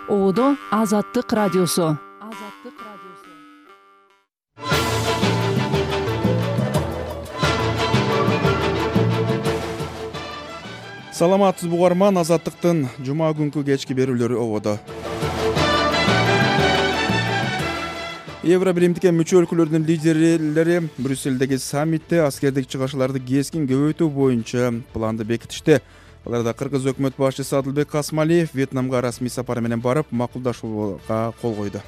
Одо Азаттык радиосу. Саламатсыз угарман, Азаттыктын жума күнкү кечки берүүлөрү ободо. Евробиримдикке мүчө өлкөлөрдүн лидерлери Брюссельдеги саммитте аскердик чыгышууларды кескин көбөйтүү боюнча планды бекитишти. Аларда кыргыз өкмөт башчысы Адылбек Касмалиев Вьетнамга расмий сапары менен барып, макулдашууга кол койду.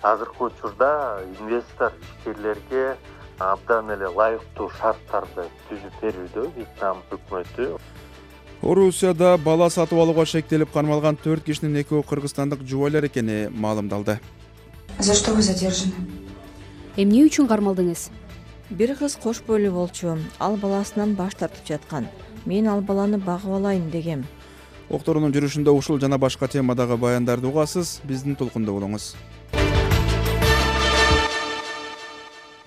Азыркы учурда инвестор ишкерлерге абдан эле лайыктуу шарттарды түзүп берүүдө Вьетнам өкмөтү. Орусияда бала сатып алууга шектелип кармалган 4 кишинин экөө кыргызстандык жубайлар экени маалымдалды. За что вы задержаны? Эмне үчүн кармалдыңыз? Бир кыз кош бойлуу болчу, ал баласынан баш тартып жаткан. Мен ал баланы багып алайын дегем. Окторунун жүрүшүндө ушул жана башка темадагы баяндарды угасыз, биздин толкунда болуңуз.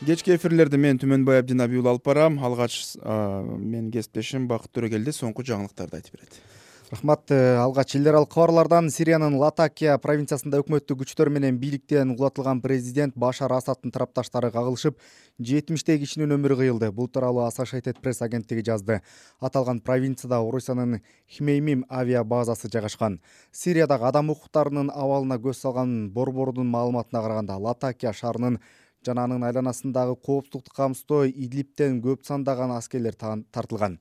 Кечки эфирлерди мен Түмөнбай Абдинабиул алып барам. Алгач мен кесиптешим Бакыт Төрөгелди соңку жаңылыктарды айтып берет. Рахмат. Алгач эл аралык кабарлардан Сириянын Латакия провинциясында өкмөттүк күчтөр менен бийликтен угулатылган президент Башар Асадтын тарапташтары кагылышып, 70 кишинин өмүрү кыйылды. Бул тууралуу Associated Press агенттиги жазды. Аталган провинцияда Орусиянын Хмеймим авиа базасы жайгашкан. Сириядагы адам укуктарынын абалына көз салган борбордун маалыматына караганда, Латакия шаарынын жана анын айланасындагы коопсуздукту камсыздоо Идлибтен көп сандаган аскерлер тартылган.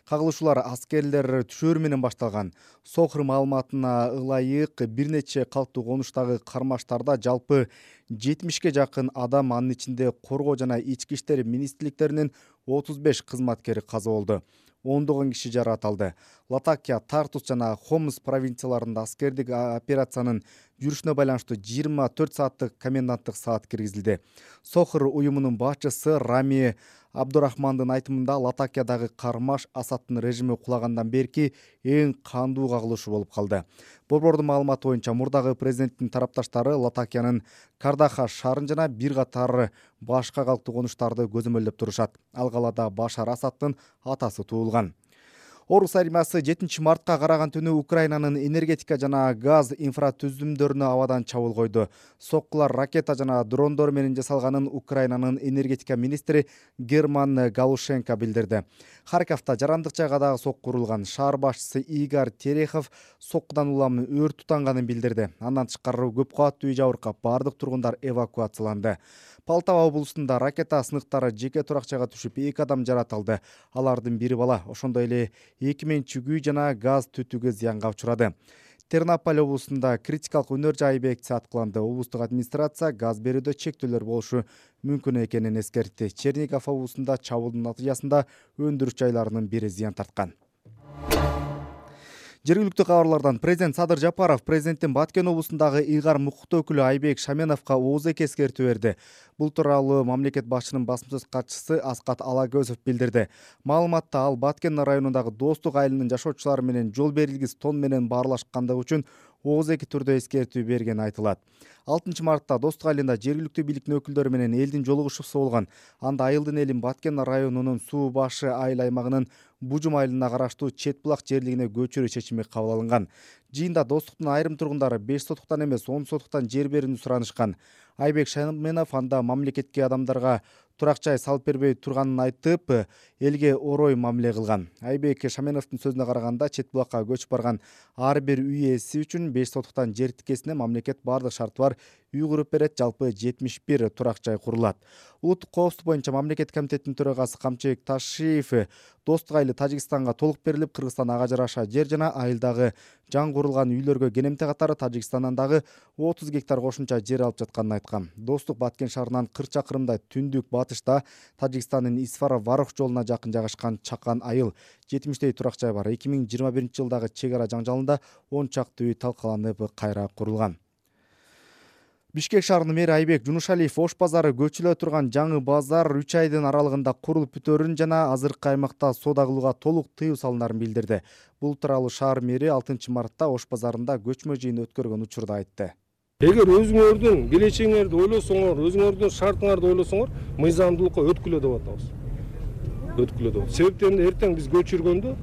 Кагылышуулар аскерлер түшөөрү менен башталган. Сохр маалыматына ылайык бир нече калктуу конуштагы кармаштарда жалпы 70 жакын адам, анын ичинде коргоо жана ички иштер министрликтеринин 35 кызматкери каза болду. Ондогон киши жаракат алды. Латакия, Тартус жана Хомс провинцияларында аскердик операциянын жүрүшүнө байланыштуу 24 сааттык коменданттык саат киргизилди. Сохр уюмунун башчысы Рами Абдурахмандын айтымында Латакиядагы кармаш Асадтын режими кулагандан берки эң кандуу кагылышуу болуп калды. Борбордун маалыматы боюнча мурдагы президенттин тарапташтары Латакиянын Кардаха шаарын жана бир катар башка калктуу конуштарды көзөмөлдөп турушат. Ал калаада Башар Асадтын атасы туулган. Орус армиясы 7 мартка караган түнү Украинанын энергетика жана газ инфратүзүмдөрүнө абадан чабуул койду. Соккулар ракета жана дрондор менен жасалганын Украинанын энергетика министри Герман Галушенко билдирди. Харьковто жарандык жайга дагы сокку урулган. Шаар башчысы Игорь Терехов соккудан улам өрт тутанганын билдирди. Андан тышкары көп кабаттуу үй жабыркап, бардык тургундар эвакуацияланды. Полтава облусунда ракета сыныктары жеке турак жайга түшүп, 2 адам жаратылды. Алардын бири бала. Ошондой эле 2 менчик үй жана газ түтүгө зыянга учурады. Тернополь облусунда критикалык өнөр жай объектиси аткыланды. Облустук администрация газ берүүдө чектөөлөр болушу мүмкүн экенин эскертти. Чернигов облусунда чабуулдун натыйжасында өндүрүш жайларынын бири зыян тарткан. Жергиликтүү кабарлардан президент Садыр Жапаров президенттин Баткен облусундагы ыйгар мукуктуу өкүлү Айбек Шаменовго оозеки эскертүү берди. Бул тууралуу мамлекет башчынын басма сөз катчысы Аскат Алагөзов билдирди. Маалыматта ал Баткен районундагы Достук айылынын жашоочулары менен жол берилгис тон менен баарлашкандыгы үчүн оозеки түрдө эскертүү бергени айтылат. 6 мартта Достук айылында жергиликтүү бийликтин өкүлдөрү менен элдин жолугушуусу болгон. Анда айылдын элин Баткен районунун Суу башы айыл аймагынын Бужум айылына караштуу Чет булак жерлигине көчүрүү чечими кабыл алынган. Жыйында Достуктун айрым тургундары 5 сотуктан эмес 10 сотуктан жер берүүнү суранышкан. Айбек Шаменов анда мамлекетке адамдарга турак жай салып бербей турганын айтып, элге орой мамиле кылган. Айбек Шаменовдун сөзүнө караганда, Чет булакка көчүп барган ар бир үй ээси үчүн 5 сотуктан жер тикесине мамлекет бардык шарты бар үй куруп берет, жалпы 71 турак жай курулат. Улуттук коопсуздук боюнча мамлекет комитетинин төрагасы Камчыбек Ташиев Достук айылы Тажикстанга толук берилип, Кыргызстан ага жараша жер жана айылдагы жаңгыртылган үйлөргө кенемте катары Тажикстандан дагы 30 гектар кошумча жер алып жатканын айткан. Достук Баткен шаарынан 40 чакырымдай түндүк батышта Тажикстандын Исфара-Варох жолуна жакын жайгашкан Чакан айыл 70 турак жай бар. 2021 жылдагы чек ара жаңжалында 10 чакты үй талкаланып кайра курулган. Бишкек шаарынын мэри Айбек Жунушалиев Ош базары көчүлө турган жаңы базар 3 айдын аралыгында курулуп бүтөөрүн жана азыркы аймакта соода кылууга толук тыюу салынарын билдирди. Бул тууралуу шаар мэри 6 мартта Ош базарында көчмө жыйын өткөргөн учурда айтты. Эгер өзүңөрдүн келечегиңерди ойлосоңор, өзүңөрдүн шартыңарды ойлосоңор, мыйзамдуулукка өткүлө деп атабыз. Өткүлө деп. Себептен эртең биз көчүргөндө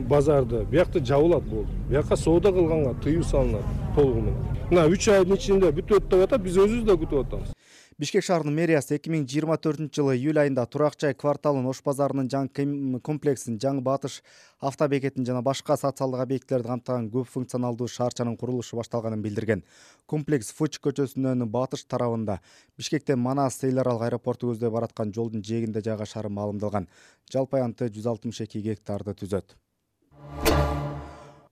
базарды, биякта жабылат болду. Бияка соода кылганга тыюу салынат толугу менен. Мына 3 айдын ичинде бүтөт деп атат, биз өзүбүз да күтүп атабыз. Бишкек шаарынын мэриясы 2024-жылы июль айында Турак жай кварталын, Ош базарынын жаңы комплексин, Жаңы Батыш автобекетин жана башка социалдык объектилерди камтыган көп функционалдуу шаарчанын курулушу башталганын билдирген. Комплекс Фоч көчөсүнөн батыш тарабында, Бишкектен Манас эл аралык аэропорту көздөй бараткан жолдун жээгинде жайгашары маалымдалган. Жалпы аянты 162 гектарды түзөт.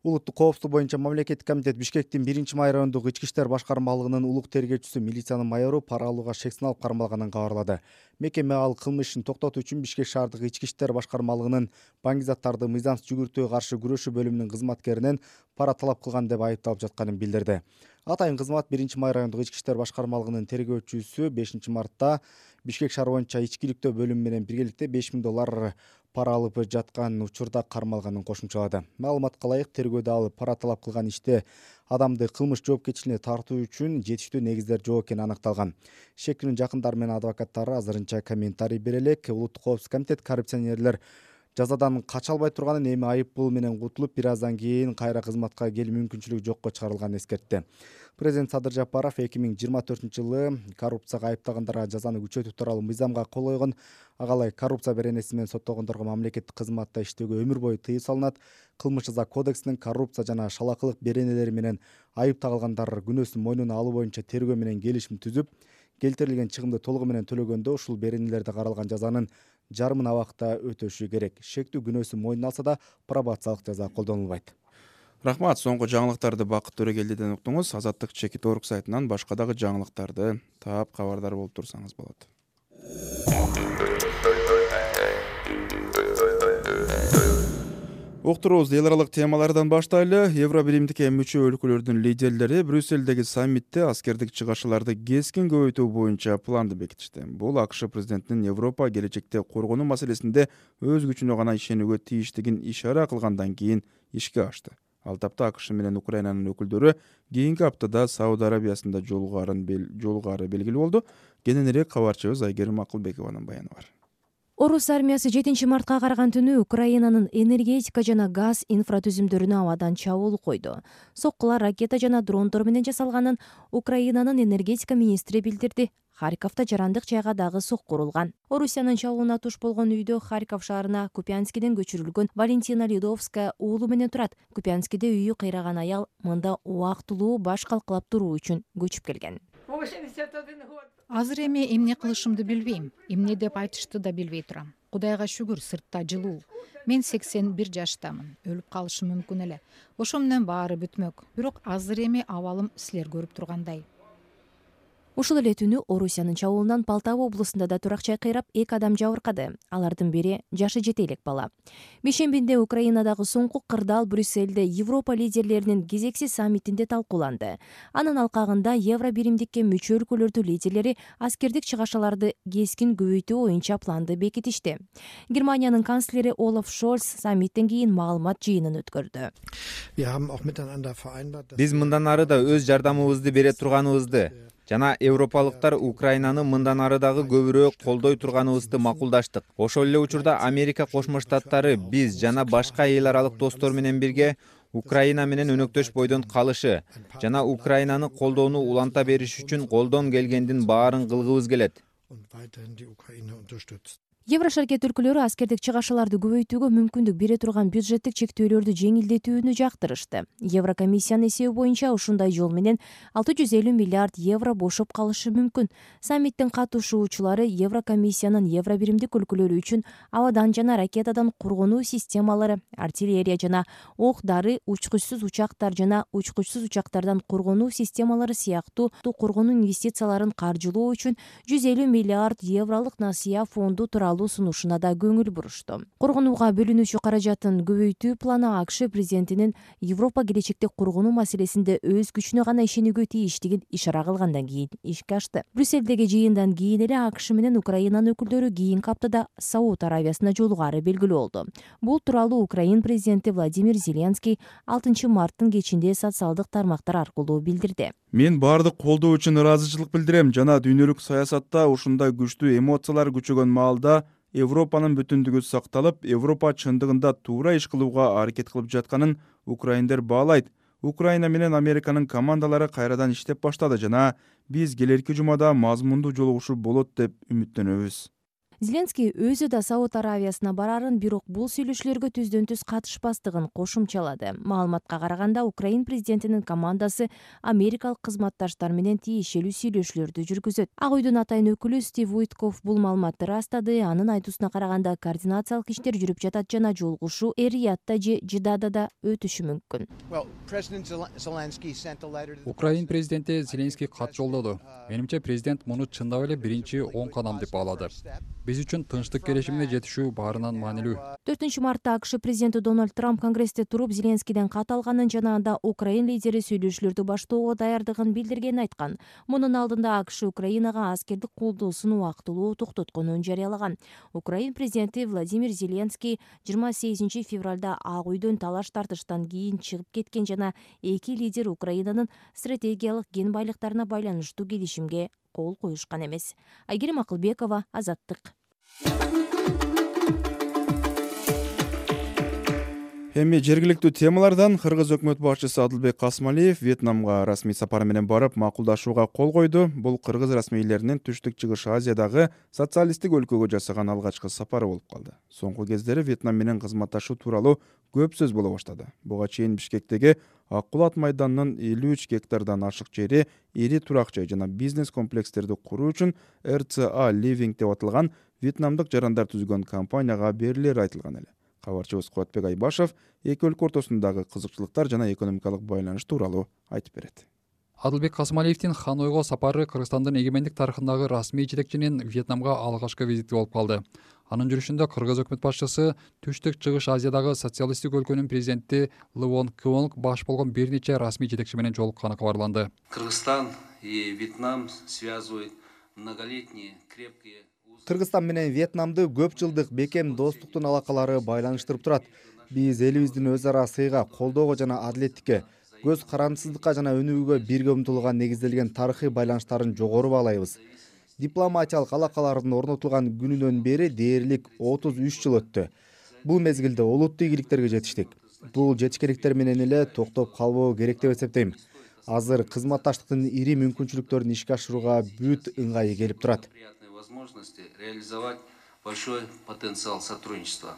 Улуттук коопсуздук боюнча мамлекеттик комитет Бишкектин 1-май райондук ички иштер башкармалыгынын улук тергөөчүсү милициянын майору пара алууга шек сыналып кармалганын кабарлады. Мекеме ал кылмыш ишин токтотуу үчүн Бишкек шаардык ички иштер башкармалыгынын баңгизаттарды мыйзамсыз жүгүртүүгө каршы күрөшүү бөлүмүнүн кызматкеринен пара талап кылган деп айыпталып жатканын билдирди. Атайын кызмат 1-май райондук ички иштер башкармалыгынын тергөөчүсү 5-мартта Бишкек шаар боюнча ичкиликтөө бөлүмү менен биргеликте $5000 пара алып жаткан учурда кармалганын кошумчалады. Маалыматка ылайык, тергөөдө ал пара талап кылган иште адамды кылмыш жоопкерчилигине тартуу үчүн жетиштүү негиздер жок экени аныкталган. Шекинин жакындары менен адвокаттары азырынча комментарий бере элек. Улуттук коопсуздук комитет коррупционерлер жазадан кача албай турганын, эми айып пул менен кутулуп, бир аздан кийин кайра кызматка келүү мүмкүнчүлүгү жокко чыгарылганын эскертти. Президент Садыр Жапаров 2024-жылы коррупцияга айыпталгандарга жазаны күчөтүү тууралуу мыйзамга кол койгон. Агалай коррупция беренеси менен соттолгондорго мамлекеттик кызматта иштөөгө өмүр бою тыюу салынат. Кылмыш жаза кодексинин коррупция жана шалакылык беренелери менен айып тагылгандар күнөөсүн мойнуна алуу боюнча тергөө менен келишим түзүп, келтирилген чыгымды толугу менен төлөгөндө ушул беренелерде каралган жазанын жарымын абакта өтөшү керек. Шектүү күнөөсүн мойнуна алса да пробациялык жаза колдонулбайт. Рахмат. Соңку жаңылыктарды Бакыт Төрөгелдиден уктуңуз. Азаттык Чекит Орг сайтынан башка дагы жаңылыктарды таап кабардар болуп турсаңыз болот. Уктуруубузду эл аралык темалардан баштайлы. Евро биримдикке мүчө өлкөлөрдүн лидерлери Брюссельдеги саммитте аскердик чыгашууларды кескин көбөйтүү боюнча планды бекитишти. Бул АКШ президентинин Европа келечекте коргонуу маселесинде өз күчүнө гана ишенүүгө тийиштигин ишара кылгандан кийин ишке ашты. Ал тапта АКШ менен Украинанын өкүлдөрү кийинки аптада Сауд Арабиясында жолугары белгилүү болду. Кененирээк кабарчыбыз Айгерим Акылбекованын баяны бар. Орус армиясы 7-мартка караган түнү Украинанын энергетика жана газ инфратүзүмдөрүнө абадан чабуул койду. Соккулар ракета жана дрондор менен жасалганын Украинанын энергетика министри билдирди. Харьковто жарандык жайга дагы сокку урулган. Орусиянын чабуулуна туш болгон үйдө Харьков шаарына Купянскиден көчүрүлгөн Валентина Ледовская уулу менен турат. Купянскиде үйү кыйраган аял мында убактылуу баш калкалап туруу үчүн көчүп келген. Азыр эми эмне кылышымды билбейм. Эмне деп айтышты да билбей турам. Кудайга шүгүр, сыртта жылуу. Мен 81 жаштамын. Өлүп калышым мүмкүн эле. Ошо менен баары бүтмөк. Бирок азыр эми абалым силер көрүп тургандай. Ушул эле түнү Орусиянын чабуулунан Полтава облусунда да турак жай кыйрап 2 адам жабыркады. Алардын бири жашы жете элек бала. Бейшембинде Украинадагы соңку кырдаал Брюссельде Европа лидерлеринин кезекси саммитинде талкууланды. Анын алкагында Евро биримдикке мүчө өлкөлөрдүн лидерлери аскердик чыгашууларды кескин көбөйтүү боюнча планды бекитишти. Германиянын канцлери Олаф Шольц саммиттен кийин маалымат жыйынын өткөрдү. Биз мындан ары да өз жардамыбызды бере турганыбызды жана европалыктар Украинаны мындан ары дагы көбүрөөк колдой турганыбызды макулдаштык. Ошол эле учурда Америка Кошмо Штаттары биз жана башка эл аралык достор менен бирге Украина менен өнөктөш бойдон калышы жана Украинаны колдоону уланта бериш үчүн колдон келгендин баарын кылгыбыз келет. Еврошаркет өлкөлөрү аскердик чыгашууларды көбөйтүүгө мүмкүндүк бере турган бюджеттик чектөөлөрдү жеңилдетүүнү жактырышты. Еврокомиссиянын эсеби боюнча ушундай жол менен 650 миллиард евро бошоп калышы мүмкүн. Саммиттин катышуучулары Еврокомиссиянын евро биримдик өлкөлөрү үчүн абадан жана ракетадан коргонуу системалары, артиллерия жана ок-дары, учкучсуз учактар жана учкучсуз учактардан коргонуу системалары сыяктуу коргонуу инвестицияларын каржылоо үчүн 150 миллиард евролук насыя фонду тууралуу сунушуна да көңүл бурушту. Коргонууга бөлүнүүчү каражатын көбөйтүү планы АКШ президентинин Европа келечекте коргонуу маселесинде өз күчүнө гана ишенүүгө тийиштигин ишара кылгандан кийин ишке ашты. Брюссельдеги жыйындан кийин эле АКШ менен Украинанын өкүлдөрү кийинки аптада Сауд Арабиясына жолугары белгилүү болду. Бул тууралуу Украин президенти Владимир Зеленский 6-марттын кечинде социалдык тармактар аркылуу билдирди. Мен баардык колдоо үчүн ыраазычылык билдирем жана дүйнөлүк саясатта ушундай күчтүү эмоциялар күчөгөн маалда Европанын бүтүндүгү сакталып, Европа чындыгында туура иш кылууга аракет кылып жатканын украиндер баалайт. Украина менен Американын командалары кайрадан иштеп баштады жана биз келерки жумада мазмундуу жолугушуу болот деп үмүттөнөбүз. Зеленский өзү да Сауд Аравиясына барарын, бирок бул сүйлөшүүлөргө түздөн түз катышпастыгын кошумчалады. Маалыматка караганда, Украин президентинин командасы америкалык кызматташтар менен тиешелүү сүйлөшүүлөрдү жүргүзөт. Ак үйдүн атайын өкүлү Стив Уиткоф бул маалыматты ырастады. Анын айтуусуна караганда, координациялык иштер жүрүп жатат жана жолугушуу Эр-Риядда же Жиддада өтүшү мүмкүн. Украин президенти Зеленский кат жолдоду. Менимче президент муну чындап эле биринчи оң кадам деп баалады. Биз үчүн тынчтык келишимине жетишүү баарынан маанилүү. 4-мартта АКШ президенти Дональд Трамп Конгрессте туруп Зеленскийден кат алганын жана анда Украин лидери сүйлөшүүлөрдү баштоого даярдыгын билдиргенин айткан. Мунун алдында АКШ Украинага аскердик колдоосун убактылуу токтотконун жарыялаган. Украин президенти Владимир Зеленский 28 февралда Ак үйдөн талаш тартыштан кийин чыгып кеткен жана эки лидер Украинанын стратегиялык кен байлыктарына байланыштуу келишимге кол коюшкан эмес. Айгерим Акылбекова, Азаттык. Эми жергиликтүү темалардан Кыргыз өкмөт башчысы Адылбек Касмалиев Вьетнамга расмий сапары менен барып макулдашууга кол койду. Бул кыргыз расмийлеринин Түштүк Чыгыш Азиядагы социалисттик өлкөгө жасаган алгачкы сапары болуп калды. Соңку кездери Вьетнам менен кызматташуу тууралуу көп сөз боло баштады. Буга чейин Бишкектеги Ак Кулат майданынын 53 гектардан ашык жери, ири турак жай жана бизнес комплекстерди куруу үчүн RCA Living деп аталган вьетнамдык жарандар түзгөн компанияга берилери айтылган эле. Кабарчыбыз Куатбек Айбашев эки өлкө ортосундагы кызыкчылыктар жана экономикалык байланыш тууралуу айтып берет. Адылбек Касмалиевдин Ханойго сапары Кыргызстандын эгемендик тарыхындагы расмий жетекчинин Вьетнамга алгачкы визити болуп калды. Анын жүрүшүндө Кыргыз өкмөт башчысы Түштүк Чыгыш Азиядагы социалисттик өлкөнүн президенти Лвон Квонг баш болгон бир нече расмий жетекчи менен жолукканы кабарланды. Кыргызстан и Вьетнам связывают многолетние крепкие. Кыргызстан менен Вьетнамды көп жылдык бекем достуктун алакалары байланыштырып турат. Биз элибиздин өз ара сыйга, колдоого жана адилеттикке, көз карандысыздыкка жана өнүгүүгө бирге умтулууга негизделген тарыхый байланыштарын жогору баалайбыз. Дипломатиялык алакалардын орнотулган күнүнөн бери дээрлик 33 жыл өттү. Бул мезгилде олуттуу ийгиликтерге жетиштик. Бул жетишкендиктер менен эле токтоп калбоо керек деп эсептейм. Азыр кызматташтыктын ири мүмкүнчүлүктөрүн ишке ашырууга бүт ыңгайы келип турат. Возможности реализовать большой потенциал сотрудничества.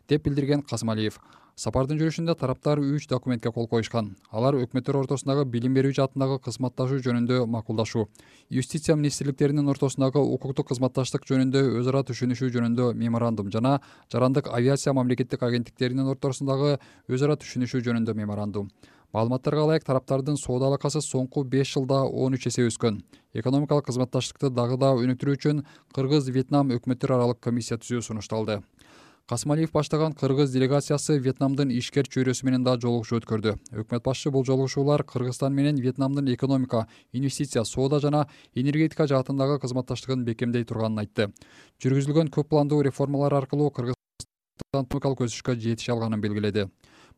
Деп билдирген Касмалиев. Сапардын жүрүшүндө тараптар 3 документке кол коюшкан. Алар өкмөттөр ортосундагы билим берүү жаатындагы кызматташуу жөнүндө макулдашуу, юстиция министрликтеринин ортосундагы укуктук кызматташтык жөнүндө өз ара түшүнүшүү жөнүндө меморандум жана жарандык авиация мамлекеттик агенттиктеринин ортосундагы өз ара түшүнүшүү жөнүндө меморандум. Маалыматтарга ылайык, тараптардын соода алакасы соңку 5 жылда 13 эсе өскөн. Экономикалык кызматташтыкты дагы да өнүктүрүү үчүн Кыргыз-Вьетнам өкмөттөр аралык комиссия түзүү сунушталды. Касмалиев баштаган Кыргыз делегациясы Вьетнамдын ишкер чөйрөсү менен да жолугушуу өткөрдү. Өкмөт башчы бул жолугушуулар Кыргызстан менен Вьетнамдын экономика, инвестиция, соода жана энергетика жаатындагы кызматташтыгын бекемдей турганын айтты. Жүргүзүлгөн көп пландуу реформалар аркылуу Кыргызстан экономикалык өсүшкө жетише алганын белгиледи.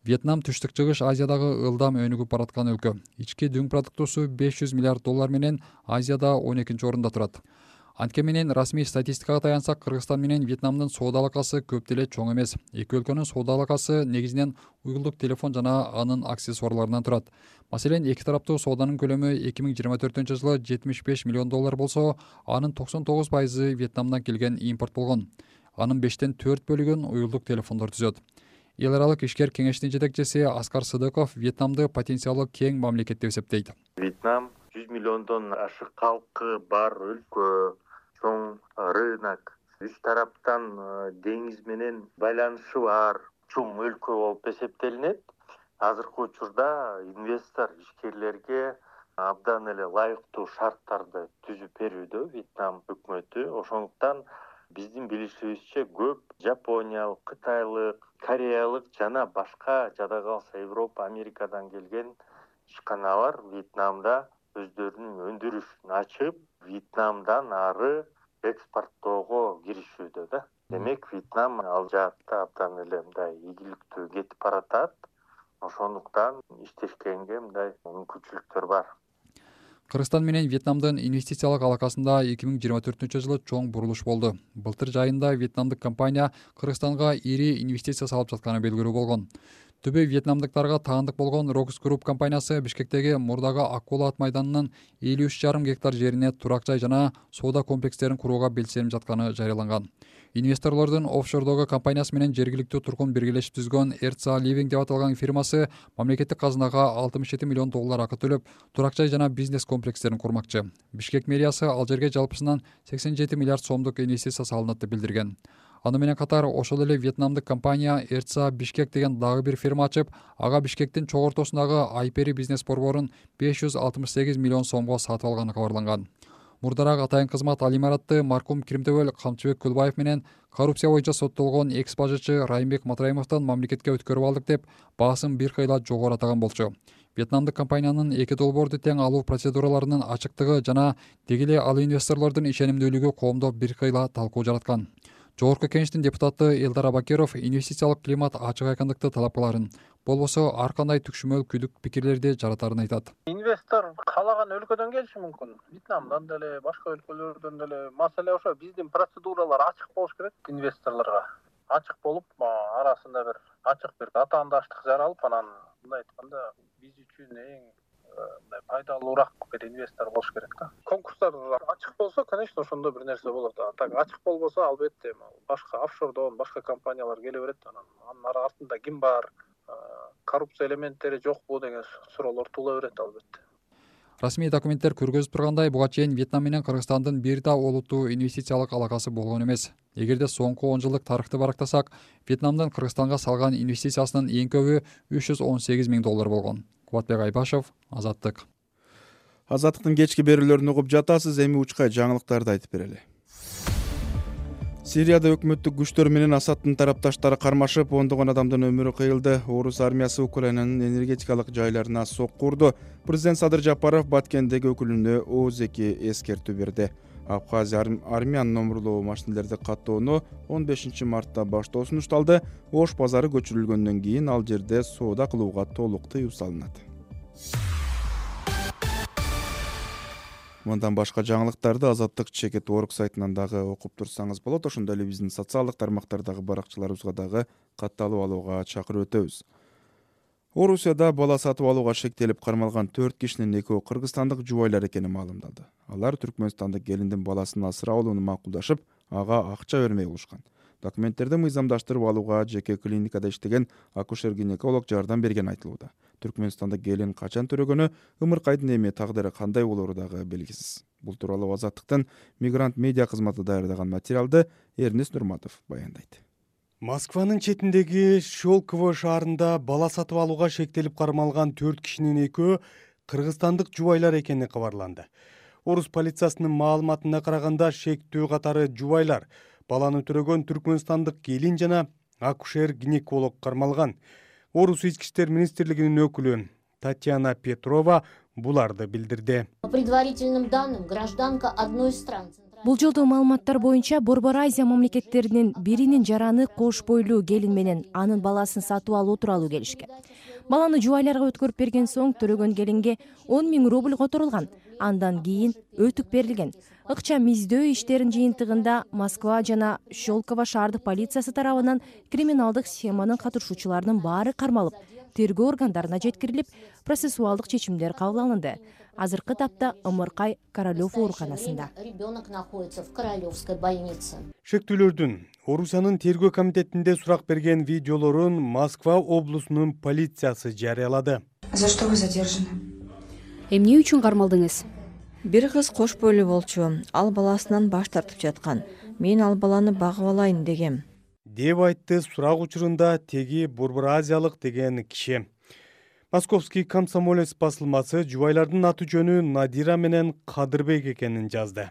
Вьетнам Түштүк Чыгыш Азиядагы ылдам өнүгүп бараткан өлкө. Ички дүң продуктусу $500 миллиард менен Азияда 12-чи орунда турат. Антке менен расмий статистикага таянсак, Кыргызстан менен Вьетнамдын соода алакасы көп деле чоң эмес. Эки өлкөнүн соода алакасы негизинен уюлдук телефон жана анын аксессуарларынан турат. Маселен, эки тараптуу сооданын көлөмү 2024-жылы $75 миллион болсо, анын 99% Вьетнамдан келген импорт болгон. Анын 5тен 4 бөлүгүн уюлдук телефондор түзөт. Эл аралык ишкер кеңештин жетекчиси Аскар Сыдыков Вьетнамды потенциалы кең мамлекет деп эсептейт. Вьетнам 100 миллиондон ашык калкы бар өлкө, чоң рынок, үч тараптан деңиз менен байланышы бар чоң өлкө болуп эсептелинет. Азыркы учурда инвестор ишкерлерге абдан эле ылайыктуу шарттарды түзүп берүүдө Вьетнам өкмөтү. Ошондуктан биздин билишибизче көп жапониялык, кытайлык, кореялык жана башка жада калса Европа, Америкадан келген ишканалар Вьетнамда өздөрүнүн өндүрүшүн ачып, Вьетнамдан ары экспорттоого киришүүдө да. Демек, Вьетнам ал жаатта абдан эле мындай ийгиликтүү кетип баратат. Ошондуктан иштешкенге мындай мүмкүнчүлүктөр бар. Кыргызстан менен Вьетнамдын инвестициялык алакасында 2024 жылы чоң бурулуш болду. Былтыр жайында вьетнамдык компания Кыргызстанга ири инвестиция салып жатканы белгилүү болгон. Түбү вьетнамдыктарга таандык болгон Рокс Групп компаниясы Бишкектеги мурдагы Аккула ат майданынын 53,5 гектар жерине турак жай жана соода комплекстерин курууга белсенип жатканы жарыяланган. Инвесторлордун офшордогу компаниясы менен жергиликтүү тургун биргелешип түзгөн RCA Living деп аталган фирмасы мамлекеттик казынага $67 миллион акы төлөп, турак жай жана бизнес комплекстерин курмакчы. Бишкек мэриясы ал жерге жалпысынан 87 миллиард сомдук инвестиция салынат деп билдирген. Аны менен катар ошол эле вьетнамдык компания RCA Бишкек деген дагы бир фирма ачып, ага Бишкектин чоң ортосундагы Айпери бизнес борборун 568 миллион сомго сатып алганы кабарланган. Мурдараак атайын кызмат ал имаратты маркум Киримтөбөл Камчыбек Кулбаев менен коррупция боюнча соттолгон экс-бажычы Райымбек Матраимовдон мамлекетке өткөрүп алдык деп баасын бир кыйла жогору атаган болчу. Вьетнамдык компаниянын эки долбоорду тең алуу процедураларынын ачыктыгы жана деги эле ал инвесторлордун ишенимдүүлүгү коомдо бир кыйла талкуу жараткан. Жогорку кеңештин депутаты Элдар Абакиров инвестициялык климат ачык айкындыкты талап кыларын, болбосо ар кандай түкшүмөл күдүк пикирлерди жаратарын айтат. Инвестор каалаган өлкөдөн келиши мүмкүн. Вьетнамдан деле, башка өлкөлөрдөн деле. Маселе ошо, биздин процедуралар ачык болуш керек инвесторлорго. Ачык болуп, арасында бир ачык бир атаандаштык жаралып, анан мындай айтканда биз үчүн эң пайдалуураак бир инвестор болуш керек да. Конкурстар ачык болсо, конечно, ошондо бир нерсе болот. Так ачык болбосо, албетте башка офшордон башка компаниялар келе берет. Анын артында ким бар, коррупция элементтери жокпу деген суроолор туула берет албетте. Расмий документтер көргөзүп тургандай, буга чейин Вьетнам менен Кыргызстандын бир да олуттуу инвестициялык алакасы болгон эмес. Эгерде соңку 10 жылдык тарыхты барактасак, Вьетнамдын Кыргызстанга салган инвестициясынын эң көбү $318 миң болгон. Кубатбек Айбашев, Азаттык. Азаттыктын кечки берүүлөрүн угуп жатасыз, эми учкай жаңылыктарды айтып берели. Сирияда өкмөттүк күчтөр менен Асадтын тарапташтары кармашып, ондогон адамдын өмүрү кыйылды. Орус армиясы Украинанын энергетикалык жайларына сокку урду. Президент Садыр Жапаров Баткендеги өкүлүнө ооз-2 эскертүү берди. Абхазия армиян номурлуу машинелерди каттоону 15 мартта баштоо сунушталды. Ош базары көчүрүлгөндөн кийин ал жерде соода кылууга толук тыюу салынат. Мындан башка жаңылыктарды Азаттык Чекит.org сайтынан дагы окуп турсаңыз болот. Ошондой эле биздин социалдык тармактардагы баракчаларыбызга дагы катталып алууга чакырып өтөбүз. Орусияда бала сатып алууга шектелип кармалган 4 кишинин экөө кыргызстандык жубайлар экени маалымдалды. Алар түркмөнстандык келиндин баласын асырап алууну макулдашып, ага акча бермей болушкан. Документтерди мыйзамдаштырып алууга жеке клиникада иштеген акушер-гинеколог жардам берген айтылууда. Түркмөнстандык келин качан төрөгөнү, ымыркайдын эми тагдыры кандай болору дагы белгисиз. Бул тууралуу Азаттыктын Мигрант медиа кызматы даярдаган материалды Эрнест Нурматов баяндайт. Москванын четиндеги Щелково шаарында бала сатып алууга шектелип кармалган 4 кишинин экөө кыргызстандык жубайлар экени кабарланды. Орус полициясынын маалыматына караганда шектүү катары жубайлар баланы төрөгөн түркмөнстандык келин жана акушер-гинеколог кармалган. Орус ички иштер министрлигинин өкүлү Татьяна Петрова буларды билдирди. По предварительным данным, гражданка одной из стран. Бул жолдо маалыматтар боюнча Борбор Азия мамлекеттеринин биринин жараны кош бойлуу келин менен анын баласын сатып алуу тууралуу келишкен. Баланы жубайларга өткөрүп берген соң төрөгөн келинге 10 000 рубль которулган. Андан кийин өтүк берилген. Ыкчам издөө иштерин жыйынтыгында Москва жана Щелково шаардык полициясы тарабынан криминалдык схеманын катышуучуларынын баары кармалып, тергөө органдарына жеткирилип, процессуалдык чечимдер кабыл алынды. Азыркы тапта Ымыркай Королёв ооруканасында. Ребенок находится в Королевской больнице. Шектүүлөрдүн Орусиянын тергөө комитетинде сурак берген видеолорун Москва облусунун полициясы жарыялады. За что вы задержаны? Эмне үчүн кармалдыңыз? Бир кыз кош бойлуу болчу, ал баласынан баш тартып жаткан. Мен ал баланы багып алайын дегем. Деп айтты сурак учурунда теги Борбор Азиялык деген киши. Московский комсомолец басылмасы жубайлардын аты жөнү Надира менен Кадырбек экенин жазды.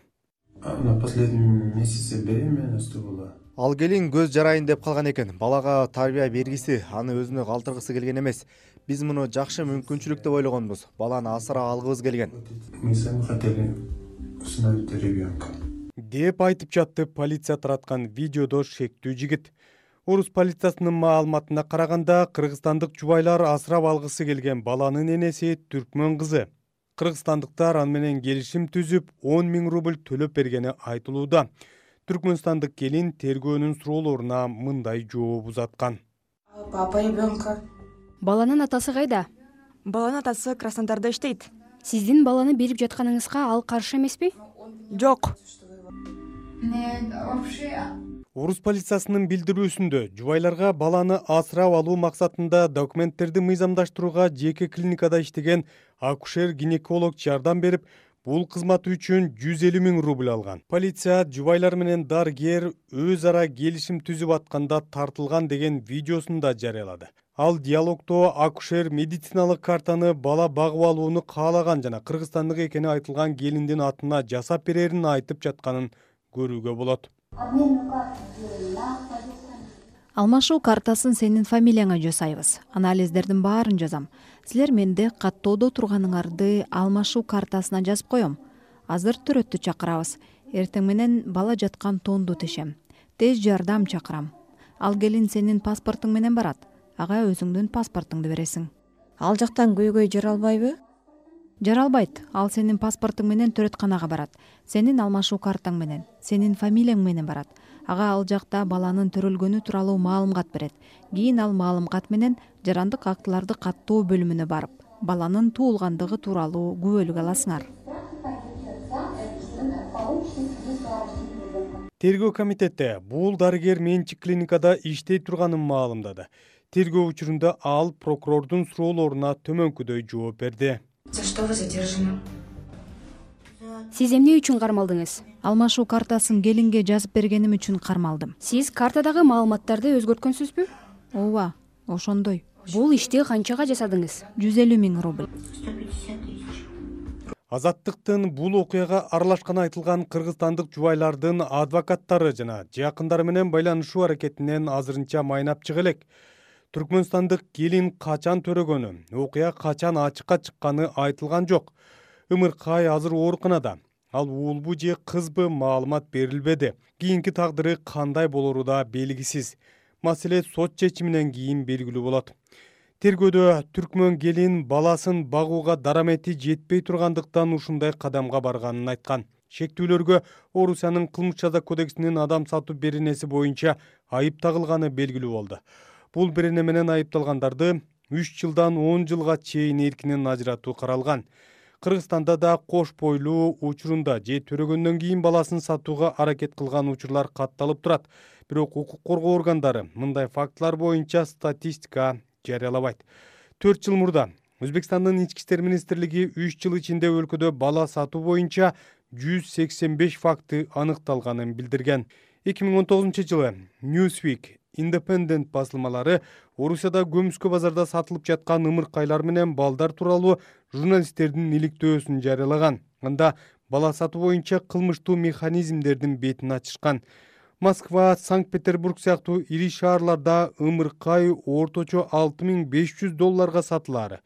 На последнем месяце беременности была. Ал келин көз жарайын деп калган экен. Балага тарбия бергиси, аны өзүнө калтыргысы келген эмес. Биз муну жакшы мүмкүнчүлүк деп ойлогонбуз. Баланы асырап алгыбыз келген. Мы сами хотели усыновить ребенка. Деп айтып жатты полиция тараткан видеодо шектүү жигит. Орус полициясынын маалыматына караганда, кыргызстандык жубайлар асырап алгысы келген баланын энеси түркмөн кызы. Кыргызстандыктар аны менен келишим түзүп 10 000 рубль төлөп бергени айтылууда. Түркмөнстандык келин тергөөнүн суроолоруна мындай жооп узаткан. Папа ребенка. Баланын атасы кайда? Баланын атасы Краснодарда иштейт. Сиздин баланы берип жатканыңызга ал каршы эмеспи? Жок. Орус полициясынын билдирүүсүндө жубайларга баланы асырап алуу максатында документтерди мыйзамдаштырууга жеке клиникада иштеген акушер-гинеколог жардам берип, бул кызматы үчүн 150 000 рубль алган. Полиция жубайлар менен дарыгер өз ара келишим түзүп атканда тартылган деген видеосун да жарыялады. Ал диалогдо акушер медициналык картаны бала багып алууну каалаган жана кыргызстандык экени айтылган келиндин атына жасап берерин айтып жатканын көрүүгө болот. Алмашуу картасын сенин фамилияңа жасайбыз. Анализдердин баарын жазам. Силер менде каттоодо турганыңарды алмашуу картасына жазып коем. Азыр төрөттү чакырабыз. Эртең менен бала жаткан тонду тешем. Тез жардам чакырам. Ал келин сенин паспортуң менен барат. Ага өзүңдүн паспортуңду бересиң. Ал жактан көйгөй жаралбайбы? Жаралбайт. Ал сенин паспортуң менен төрөтканага барат. Сенин алмашуу картаң менен, сенин фамилияң менен барат. Ага ал жакта баланын төрөлгөнү тууралуу маалымат берет. Кийин ал маалымат менен жарандык актыларды каттоо бөлүмүнө барып, баланын туулгандыгы тууралуу күбөлүк аласыңар. Тергөө комитети бул дарыгер менчик клиникада иштей турганын маалымдады. Тергөө учурунда ал прокурордун суроолоруна төмөнкүдөй жооп берди. За что вы задержаны? Сиз эмне үчүн кармалдыңыз? Алмашуу картасын келинге жазып бергеним үчүн кармалдым. Сиз картадагы маалыматтарды өзгөрткөнсүзбү? Ооба, ошондой. Бул ишти канчага жасадыңыз? 150 000 рубль. Азаттыктын бул окуяга аралашканы айтылган кыргызстандык жубайлардын адвокаттары жана жакындары менен байланышуу аракетинен азырынча майнап чыга элек. Түркмөнстандык келин качан төрөгөнү, окуя качан ачыкка чыкканы айтылган жок. Ымыркай азыр ооруканада. Ал уулбу же кызбы маалымат берилбеди. Кийинки тагдыры кандай болору да белгисиз. Маселе сот чечиминен кийин белгилүү болот. Тергөөдө түркмөн келин баласын багууга дарамети жетпей тургандыктан ушундай кадамга барганын айткан. Шектүүлөргө Орусиянын кылмыш жаза кодексинин адам сатуу беренеси боюнча айып тагылганы белгилүү болду. Бул берене менен айыпталгандарды 3 жылдан 10 жылга чейин эркинен ажыратуу каралган. Кыргызстанда да кош бойлуу учурунда же төрөгөндөн кийин баласын сатууга аракет кылган учурлар катталып турат. Бирок укук коргоо органдары мындай фактылар боюнча статистика жарыялабайт. 4 жыл мурда Өзбекстандын ички иштер министрлиги 3 жыл ичинде өлкөдө бала сатуу боюнча 185 факты аныкталганын билдирген. 2019-жылы Newsweek Independent басылмалары Орусияда көмүскө базарда сатылып жаткан ымыркайлар менен балдар тууралуу журналисттердин иликтөөсүн жарыялаган. Анда бала сатуу боюнча кылмыштуу механизмдердин бетин ачышкан. Москва, Санкт-Петербург сыяктуу ири шаарларда ымыркай орточо $6500 сатылары.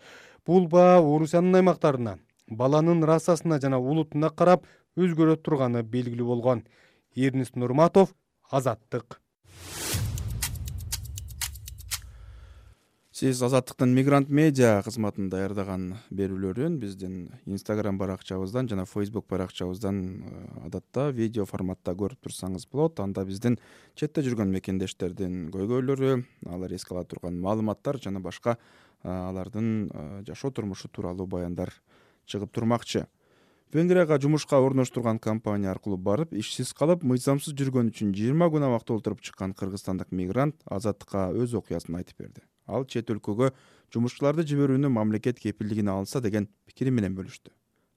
Бул баа Орусиянын аймактарына, баланын расасына жана улутуна карап өзгөрө турганы белгилүү болгон. Эрнис Нурматов, Азаттык. Сиз Азаттыктын Мигрант медиа кызматында даярдаган берүүлөрүн биздин Instagram баракчабыздан жана Facebook баракчабыздан адатта видео форматта көрүп турсаңыз болот. Анда биздин четте жүргөн мекендештердин көйгөйлөрү, алар эске ала турган маалыматтар жана башка алардын жашоо турмушу тууралуу баяндар чыгып турмакчы. Венгрияга жумушка орноштурган компания аркылуу барып, ишсиз калып, мыйзамсыз жүргөн үчүн 20 күн абакта олтуруп чыккан кыргызстандык мигрант Азаттыкка өз окуясын айтып берди. Ал чет өлкөгө жумушчуларды жиберүүнү мамлекет кепилдигине алса деген пикири менен бөлүштү.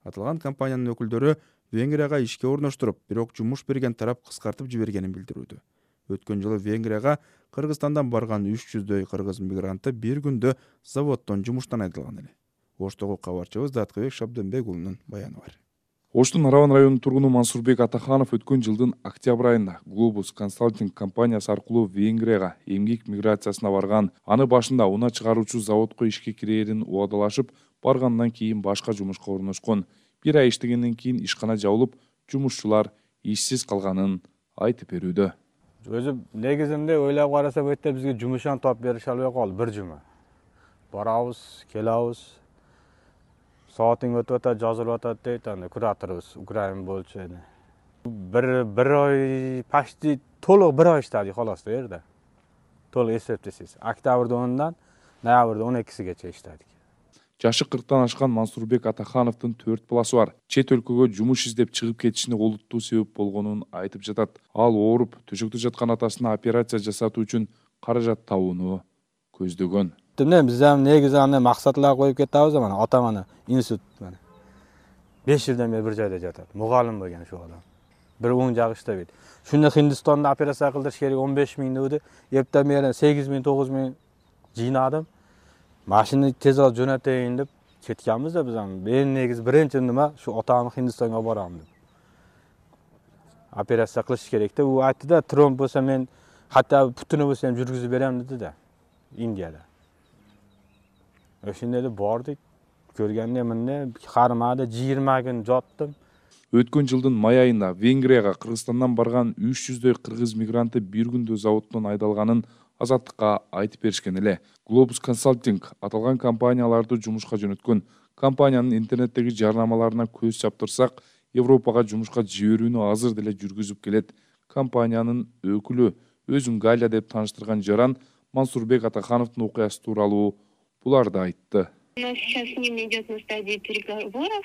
Аталган компаниянын өкүлдөрү Венгрияга ишке орноштуруп, бирок жумуш берген тарап кыскартып жибергенин билдирүүдө. Өткөн жылы Венгрияга Кыргызстандан барган 300дөй кыргыз мигранты бир күндө заводдон жумуштан айдалган эле. Оштогу кабарчыбыз Даткыбек Шабденбек уулунун баяны бар. Оштун Араван районунун тургуну Мансурбек Атаханов өткөн жылдын октябрь айында Globus Consulting компаниясы аркылуу Венгрияга эмгек миграциясына барган. Аны башында унаа чыгаруучу заводко ишке кирээрин убадалашып, баргандан кийин башка жумушка орношкон. Бир ай иштегенден кийин ишкана жабылып, жумушчулар ишсиз калганын айтып берүүдө. Өзү негизинде ойлоп караса өтө бизге жумушан таап берише албай калды, бир жума. Барабыз, келабыз. Саатың өтүп атат, жазылып атат дейт, анда кураторубуз Украина болчу эди. Bir oy почти толук 1 oy иштедик холос bu yerде. Толук эсептесеңиз. Октябрда 10-дан ноябрда 12-сигече иштедик. Жашы 40-тан ашкан Мансурбек Атахановдун 4 баласы бар. Чет өлкөгө жумуш издеп чыгып кетишине олуттуу себеп болгонун айтып жатат. Ал ооруп, төшөктө жаткан атасына операция жасатуу үчүн каражат табууну көздөгөн. Биз ham негизи аны максатлар коюп кетебиз, мана атам аны институт 5 жылдан бери бир жайда жатат. Мугалим болгон ошол адам. Bir oң жагы иштебейт. Шуну Хиндистанда операция кылдырыш керек 15 миң деді. Ептен бери 8 миң 9 миң жыйнадым. Машина тез алып жөнөтөйүн деп кеткенбиз да биз аны. Мен негизи биринчи неме шу атамды Хиндистанга барам деп. Операция кылыш керек деп. У айтты да, тромб болсо мен хатта путуну болсо жүргүзүп берем деди да. Индияда. Ошондой эле бардык. Көргөндө эмне кармады 20 күн жаттым. Өткөн жылдын май айында Венгрияга Кыргызстандан барган 300дөй кыргыз мигранты бир күндө заводдон айдалганын Азаттыкка айтып беришкен эле. Globus Consulting аталган компанияларды жумушка жөнөткөн. Компаниянын интернеттеги жарнамаларына көз чаптырсак, Европага жумушка жиберүүнү азыр деле жүргүзүп келет. Компаниянын өкүлү өзүн Галя деп тааныштырган жаран Мансурбек Атахановдун окуясы тууралуу буларды айтты. У нас сейчас с ним идет на стадии переговоров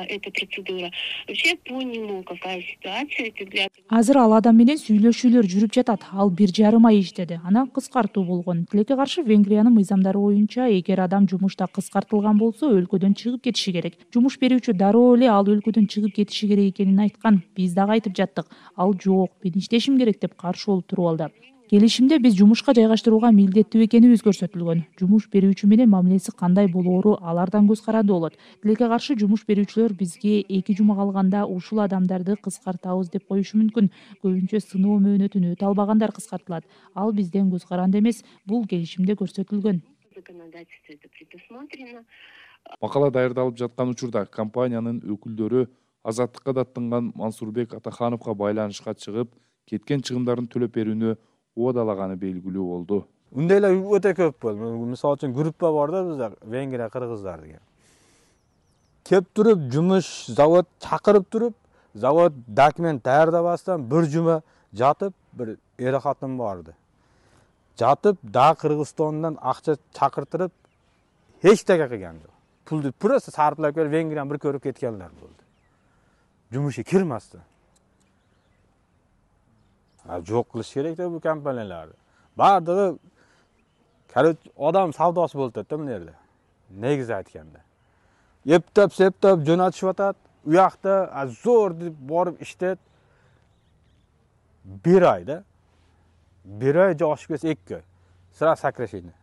эта процедура. Вообще по нему какая ситуация? Азыр ал адам менен сүйлөшүүлөр жүрүп жатат. Ал 1,5 ай иштеди. Анан кыскартуу болгон. Тилекке каршы Венгриянын мыйзамдары боюнча, эгер адам жумушта кыскартылган болсо, өлкөдөн чыгып кетиши керек. Жумуш берүүчү дароо эле ал өлкөдөн чыгып кетиши керек экенин айткан. Биз дагы айтып жаттык. Ал жок, мен иштешим керек деп каршы болуп туруп алды. Келишимде биз жумушка жайгаштырууга милдеттүү экенибиз көрсөтүлгөн. Жумуш берүүчү менен мамилеси кандай болоору алардан көз каранды болот. Тилекке каршы жумуш берүүчүлөр бизге 2 жума калганда ушул адамдарды кыскартабыз деп коюшу мүмкүн. Көбүнчө сыноо мөөнөтүн өтө албагандар кыскартылат. Ал бизден көз каранды эмес, бул келишимде көрсөтүлгөн. Макала даярдалып жаткан учурда компаниянын өкүлдөрү Азаттыкка даттанган Мансурбек Атахановго байланышка чыгып, кеткен чыгымдарын төлөп берүүнү уадалаганы белгилүү болду. Ундайлар өтө көп болду. Мисалы үчүн группа бар да бизде, Венгрия кыргыздар деген. Кеп туруп, жумуш, завод чакырып туруп, завод документ даярдабастан bir жума жатып, bir эр катын барды. Жатып, да Кыргызстандан акча чакыртырып, эч теге кылган жок. Пулду просто сарплап келип Венгрияны bir көрүп кеткенлер болду. Жумушка кирмастан. Жок кылыш керек да бул компанияларды. Бардыгы адам савдасы болуп атат да бул жерде. Негизи айтканда. Эптеп жөнөтүшүп атат. У жакта зор деп барып иштет. 1 ай да. 1 ай же ашып кетсе 2 ай. Сразу сокращение.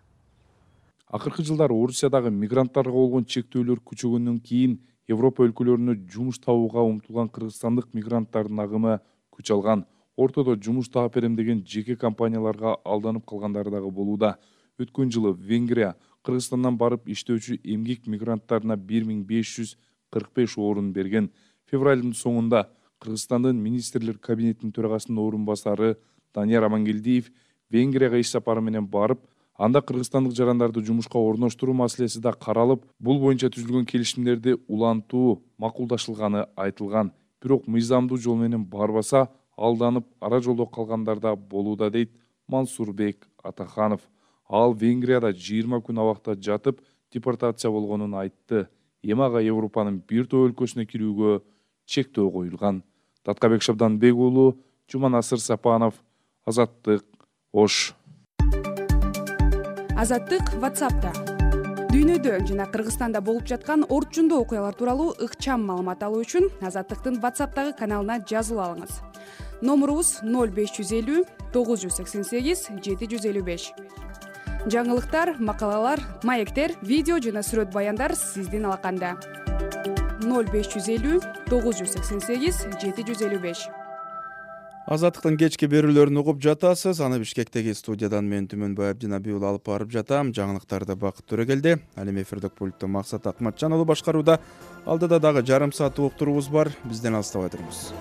Акыркы жылдары Орусиядагы мигранттарга болгон чектөөлөр күчөгөндөн кийин Европа өлкөлөрүнө жумуш табууга умтулган кыргызстандык мигранттардын агымы күч алган. Ортодо жумуш таап берем деген жеке компанияларга алданып калгандары дагы болууда. Өткөн жылы Венгрия Кыргызстандан барып иштөөчү эмгек мигранттарына 1545 орун берген. Февралдын соңунда Кыргызстандын министрлер кабинетинин төрагасынын орун басары Данияр Амангелдиев Венгрияга иш сапары менен барып, анда кыргызстандык жарандарды жумушка орноштуруу маселеси да каралып, бул боюнча түзүлгөн келишимдерди улантуу макулдашылганы айтылган. Бирок мыйзамдуу жол менен барбаса, алданып ара жолдо калгандар да болууда дейт Мансурбек Атаханов. Ал Венгрияда 20 күн абакта жатып, депортация болгонун айтты. Эмага Европанын бир топ өлкөсүнө кирүүгө чектөө коюлган. Таткабек Шабданбек уулу, Жуманасыр Сапанов, Азаттык, Ош. Азаттык WhatsApp'та. Дүйнөдө жана Кыргызстанда болуп жаткан орчундуу окуялар тууралуу ыкчам маалымат алуу үчүн Азаттыктын WhatsApp'тагы каналына жазылып алыңыз. Номурубуз 0550 988 755. Жаңылыктар, макалалар, маектер, видео жана сүрөт баяндар сиздин алаканда. 0550 988 755. Азаттыктын кечки берүүлөрүн угуп жатасыз. Аны Бишкектеги студиядан мен Түмөнбай Абдинабиул алып барып жатам. Жаңылыктарды Бакыт Төрөгелди. Ал эми эфирдик пультту Максат Акматжан уулу башкарууда. Алдыда дагы жарым саат уктуруубуз бар. Бизден алыстабай туруңуз.